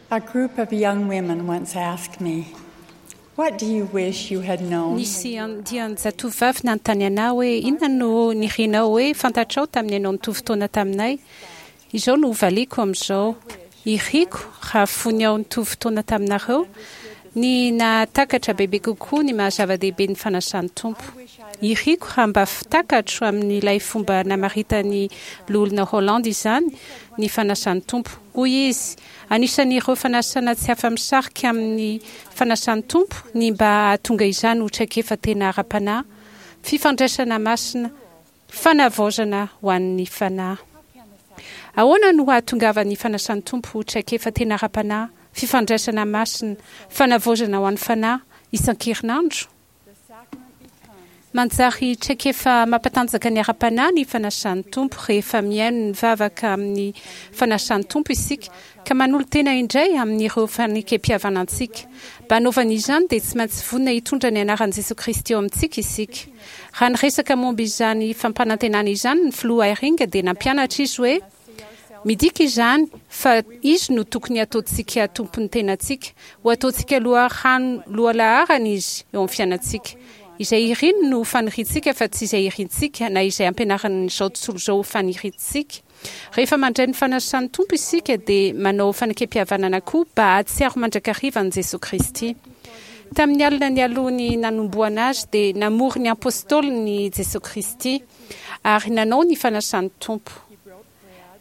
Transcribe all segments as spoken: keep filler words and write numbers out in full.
A group of young women once asked me, What do you wish you had known? Nisy andian-jatovovavy nanontany anà hoe, Inona no nirinao hoe fantatrao tamin'ny ianao nitovy taona taminay? Izao no hovaliako amin'izao, Iriko raha fony aho nitovy taona taminareo, ny nahatakatra bebe kokoa ny maha-zava-dehibe ny fanasan'ny Tompo. Iriko raha mba takatro amin'ilay fomba namaritan'ny Loholona Holland izany ny fanasan'ny Tompo. Hoy izy, Anisan'ireo fanasana tsy afa-misarika amin'ny fanasan'ny Tompo ny mba hahatonga izany ho traikefa tena ara-panahy, fifandraisana masina, fanavaozana ho an'ny fanahy. Ahoana no hahatongavan'ny fanasan'ny Tompo ho traikefa tena ara-panahy, fifandraisana masina, fanavaozana ho an'ny fanahy, isan-kerinandro? Manjary traikefa mampatanjaka ny ara-panahy ny fanasan'ny Tompo rehefa mihaino ny vavaka amin'ny fanasan'ny Tompo isika ka manolo-tena indray amin'ireo fanekempihavanantsika. Mba hanaovana izany dia tsy maintsy vonona hitondra ny anaran'i Jesoa Kristy eo amintsika isika. Raha niresaka momba izany fampanantenana izany ny Filoha Eyring dia nampianatra izy hoe, Midika izany fa Izy no tokony hataontsika tompon'ny tenantsika, ho ataontsika loharano lohalaharana Izy eo amin'ny fiainantsika. Izay iriny no ho faniriantsika fa tsy izay irintsika na izay ampianarin'izao tontolo izao ho faniriantsika. Rehefa mandray ny fanasan'ny Tompo isika dia manao fanekempihavanana koa mba hahatsiaro mandrakariva an'i Jesoa Kristy. Tamin'ny alina nialoha ny nanombohana Azy dia namory ny Apôstôliny Jesoa Kristy ary nanao ny fanasan'ny Tompo.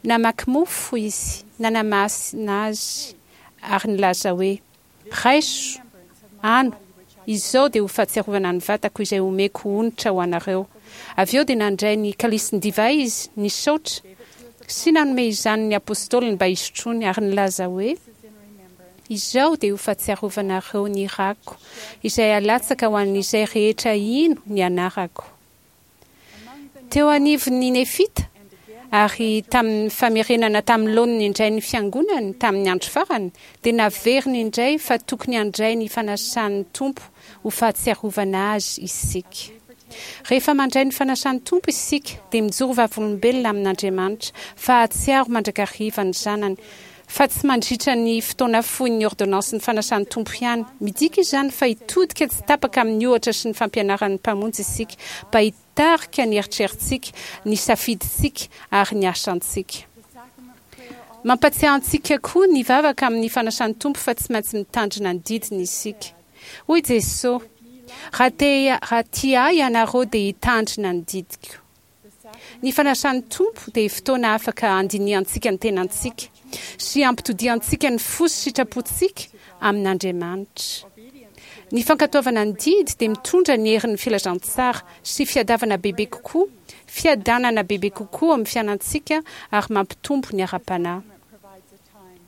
Namaky mofo izy, nanamasina azy, ary nilaza hoe, Raiso, ano, izao dia ho fahatsiarovana ny vatako izay homeko onitra ho anareo. Avy eo dia nandray ny kalisin-divay izy, nisaotra, sy nanome izany ny apostoliny mba hisotroany, ary nilaza hoe, Izao dia ho fahatsiarovanareo ny rako, izay halatsaka ho an'izay rehetra hino ny anarako. Teo anivon'ny Nefita, ary tamin'ny famerenana tamin'ny laoniny indray ny Fiangonany tamin'ny andro farany, dia naveriny indray fa tokony handray ny fanasan'ny Tompo ho fahatsiarovana Azy isika. Rehefa mandray ny fanasan'ny Tompo isika, dia mijoro vavolombelona amin'Andriamanitra fa hahatsiaro mandrakariva ny Zanany, fa tsy mandritra ny fotoana fohin'ny ôrdônansin'ny fanasan'ny Tompo ihany. Midika izany fa hitodika tsy tapaka amin'ny ohatra sy ny fampianaran'ny Mpamonjy isika mba hitarika ny eritreritsika, ny safidintsika ary ny asantsika. Mampatsiahy antsika koa ny vavaka amin'ny fanasan'ny Tompo fa tsy maintsy mitandrina ny didiny isika. Hoy Jesoa, Raha te raha tia Ahy ianareo dia hitandrina ny didiko. Ny fanasan'ny Tompo dia fotoana afaka handinihantsika ny tenantsika sy hampitodihantsika ny fo sy sitrapontsika amin'Andriamanitra. Ny fankatoavana ny didy dia mitondra ny herin'ny filazantsara sy fiadavana bebe kokoa, fiadanana bebe kokoa amin'ny fianantsika ary mampitombo ny ara-panahy.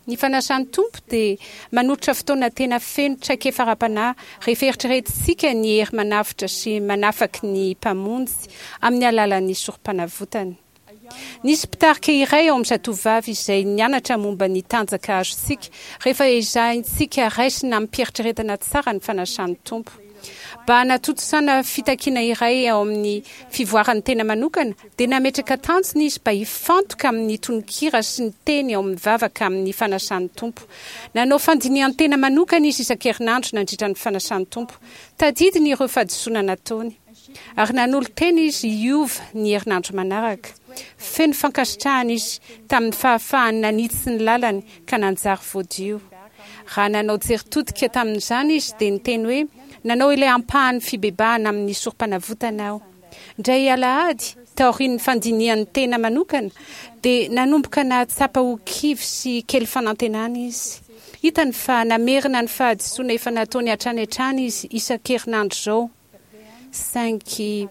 Ny fanasan'ny Tompo dia manolotra fotoana tena feno traikefa ara-panahy rehefa eritreretintsika ny hery manavotra sy manafaky ny Mpamonjy amin'ny alalan'ny Sorompanavotany. Nisy mpitarika iray ao amin'ny Zatovovavy izay nianatra momba ny tanjaka azontsika rehefa ezahintsika raisina amim-pieritreretana tsara ny fanasan'ny Tompo. Mba hanatontosana fitakiana iray ao amin'ny fivoaran'ny tena manokana, dia nametraka tanjona izy mba hifantoka amin'ny tononkira sy ny teny ao amin'ny vavaka amin'ny fanasan'ny Tompo. Nanao fandinihan-tena manokana izy isan-kerinandro nandritra ny fanasan'ny Tompo. Tadidiny ireo fahadisoana nataony. Ary nanolo-tena izy hiova ny herinandro manaraka. Feno fankasitrahana izy tamin'ny fahafahany nanitsy ny lalany ka nanjary voadio. Raha nanao jery todika tamin'izany izy dia niteny hoe, Nanao ilay ampahan'ny fibebahana amin'ny sorompanavotana aho. Indray alahady, taorian'ny fandinihany tena manokana, dia nanomboka nahatsapa ho kivy sy kely fanantenana izy. Hitany fa namerina ny fahadisoana efa nataony hatrany hatrany izy isan-kerinandro izao. Saingy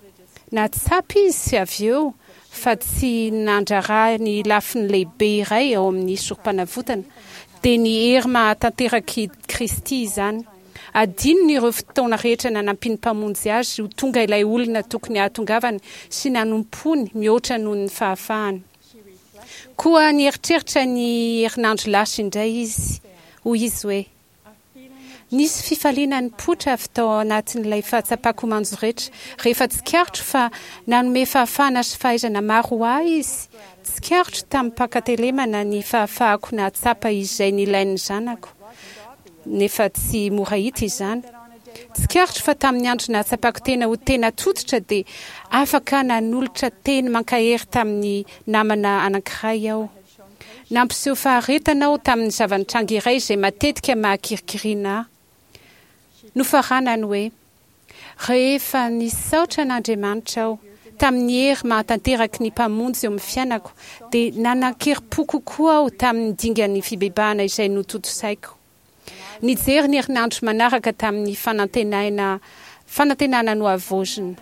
nahatsapa izy avy eo fa tsy nandrara ny lafiny lehibe iray ao amin'ny Sorompanavotana, dia ny hery mahatanterak'i Kristy izany. Adinony ireo fotoana rehetra nanampian'ny Mpamonjy azy ho tonga ilay olona tokony hahatongavany sy nanompoany mihoatra noho ny fahafahany. Koa nieritreritra ny herinandro lasa indray izy. Hoy izy hoe, Nisy fifaliana nipoitra avy tao anatin'ilay fahatsapako ho manjoretra rehefa tsikaritro fa nanome fahafahana sy fahaizana maro ho ahy izy. Tsikaritro tamim-pankatelemana ny fahafahako nahatsapa izay nilain'ny zanako. nefa tsy mora hita izany. Tsikaritro fa tamin'ny andro nahatsapako tena ho tena tototra dia afaka nanolotra teny mankahery tamin'ny namana anankiray aho. Nampiseho faharetana aho tamin'ny zava-nitranga iray izay matetika mahakirikiriana ahy. Nofaranany hoe, Rehefa nisaotra an'Andriamanitra aho tamin'ny hery mahatanteraky ny Mpamonjy eo amin'ny fiainako, dia nanan-kerim-po kokoa aho tamin'ny dingan'ny fibebahana izay notontosaiko. Nijery ny herinandro manaraka tamin'ny fanantenaina fanantenana nohavaozina.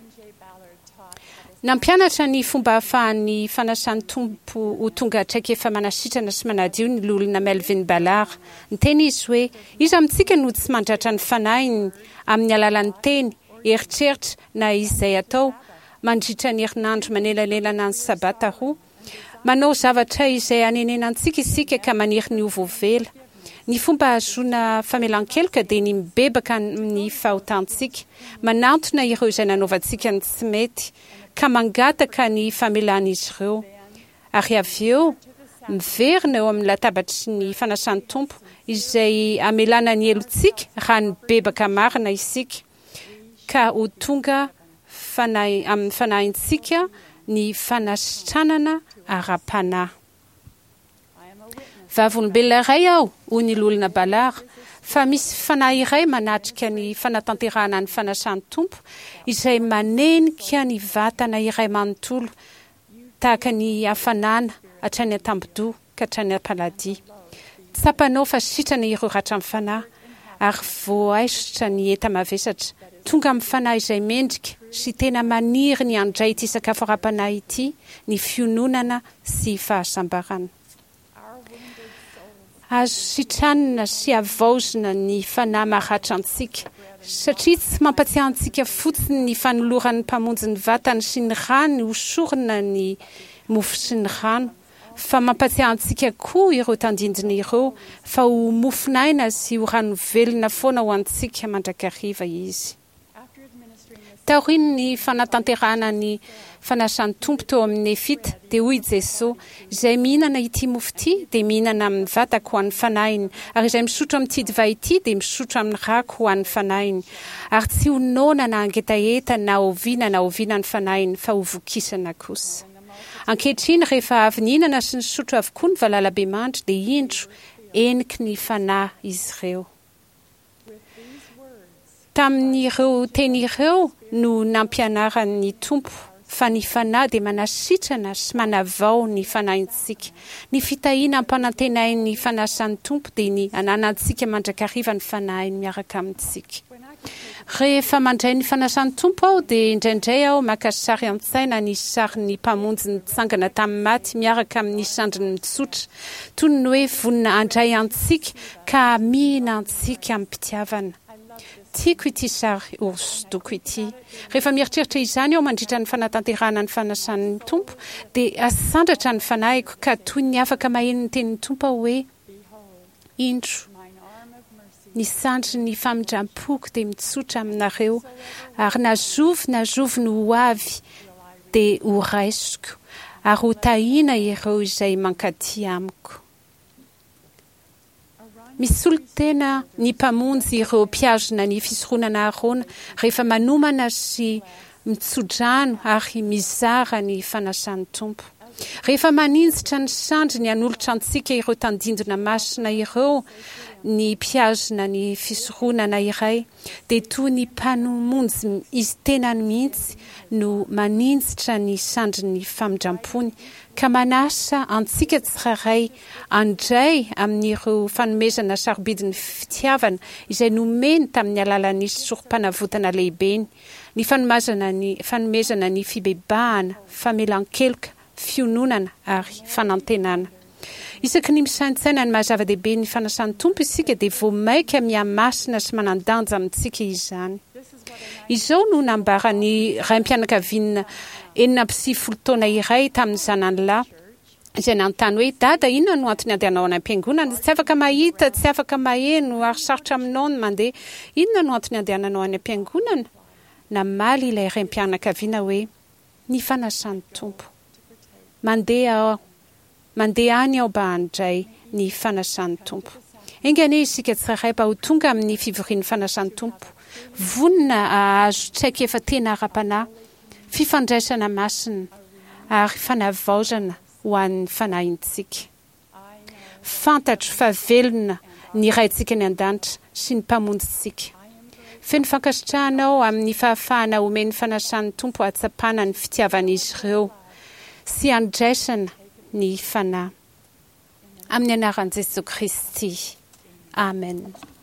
Nampianatra ny fomba ahafahan'ny fanasan'ny Tompo ho tonga traikefa manasitrana sy manadio ny Loholona Melvin Ballard. Niteny izy hoe, Iza amintsika no tsy mandratra ny fanahiny amin'ny alalan'ny teny, eritreritra na izay atao mandritra ny herinandro manelanelana ny Sabata roa? Manao zavatra izay hanenenantsika isika ka maniry ny ho voavela. Ny fomba ahazoana famelan-keloka dia ny mibebaka amin'ny fahotantsika, manantona ireo izay nanaovantsika ny tsy mety, ka mangataka ny famelan'izy ireo, ary avy eo miverina eo amin'ny latabatry ny fanasan'ny Tompo izay hamelana ny helotsika raha nibebaka marina isika, ka ho tonga fanahy amin'ny fanahintsika ny fanasitranana ara-panahy. Vavolombelona iray aho, hoy ny Loholona Ballard, fa misy fanahy iray manatrika ny fanatanterahana ny fanasan'ny Tompo izay manenika ny vatana iray manontolo tahaka ny hafanana hatrany an-tambodoha ka hatrany am-paladia. Tsapanao fa sitrana ireo ratran'ny fanahy ary voaisotra ny enta-mavesatra. Tonga amin'ny fanahy izay mendrika sy tena maniry ny handray ity sakafo ara-panahy ity ny fiononana sy fahasambarana. Azo sitranina sy havaozina ny fanahy maratra antsika, satria tsy mampatsiahy antsika fotsiny ny fanoloran'ny Mpamonjy ny vatany sy ny rany ho sorona ny mofo sy ny rano, fa mampatsiahy antsika koa ireo tandindona ireo fa ho mofon'aina sy ho rano velona foana ho antsika mandrakariva Izy. Taorian'ny fanatanterahana ny fanasan'ny Tompo teo amin'ny Nefita, dia hoy i Jesoa, Izay mihinana ity mofo ity dia mihinana amin'ny vatako ho an'ny fanahiny, ary izay misotro amin'ity divay ity dia misotro amin'ny rako ho an'ny fanahiny. Ary tsy ho noana na hangetaheta na oviana na oviana ny fanahiny, fa ho vokisana kosa. Ankehitriny, rehefa avy nihinana sy nisotro avokoa ny valalabemandry, dia indro, heniky ny Fanahy izy ireo. Tamin'ireo teny ireo no nampianaran'ny Tompo fa ny Fanahy dia manasitrana sy manavao ny fanahintsika. Ny fitahiana ampanantenain'ny fanasan'ny Tompo dia ny hananantsika mandrakariva ny Fanahiny miaraka amintsika. Rehefa mandray ny fanasan'ny Tompo aho dia indraindray aho maka sary an-tsaina ny sarin'ny Mpamonjy nitsangana tamin'ny maty miaraka amin'ny sandriny mitsotra, toy ny hoe vonona handray antsika ka hamihina antsika amim-pitiavana. Tiako ity sary hosodoko ity. Rehefa mieritreritra izany aho mandritra ny fanatanterahana ny fanasan'ny Tompo, dia asandratra ny fanahiko ka toy ny afaka maheno ny tenin'ny Tompo aho hoe, Indro, ny sandrin'ny famindram-poko dia mitsotra aminareo, ary na zovy na zovy no ho avy dia horaisiko, ary hotahiana ireo izay mankaty amiko. Misolo tena ny Mpamonjy ireo mpihazona ny Fisoronana Aharôna rehefa manomana sy mitso-drano ary mizara ny fanasan'ny Tompo. Rehefa maninjitra ny sandriny hanolotra antsika ireo tandindona masina ireo ny mpihazona ny fisoronana iray, dia toy ny Mpanomonjy Izy tenany mihitsy no maninjitra ny sandrin'ny famindram-pony ka manasa antsika tsirairay handray amin'ireo fanomezana sarobidin'ny fitiavana izay nomeny tamin'ny alalan'ny Sorompanavotana lehibeny, ny fanomazana ny fanomezana ny fibebahana, famelan-keloka, fiononana ary fanantenana. Isaky ny misaintsaina ny maha-zava-dehibe ny fanasan'ny Tompo isika dia vao mainka mihamasina sy manan-danja amintsika izany. Izao no nambaran'ny raim-pianakaviana enina amby sivifolo taona iray tamin'ny zanany lahy izay nanontany hoe, Dada, inona no antony andehanao any am-piangonana? Tsy afaka mahita, tsy afaka maheno ary sarotra aminao ny mandeha. Inona no antony andehananao any am-piangonana? Namaly ilay raim-pianakaviana hoe, Ny fanasan'ny Tompo. Mandeha aho, mandeha any aho mba handray ny fanasan'ny Tompo. Enga anie isika tsirairay mba ho tonga amin'ny fivorian'ny fanasan'ny Tompo, vonona hahazo traikefa tena ara-panahy, fifandraisana masina ary fanavaozana ho an'ny fanahintsika. Fantatro fa velona ny Raintsika any An-danitra sy ny Mpamonjintsika. Feno fankasitrahana aho amin'ny fahafahana omen'ny fanasan'ny Tompo hahatsapana ny fitiavan'izy ireo sy handraisana ny Fanahy. Amin'ny anaran'i Jesoa Kristy. Amen.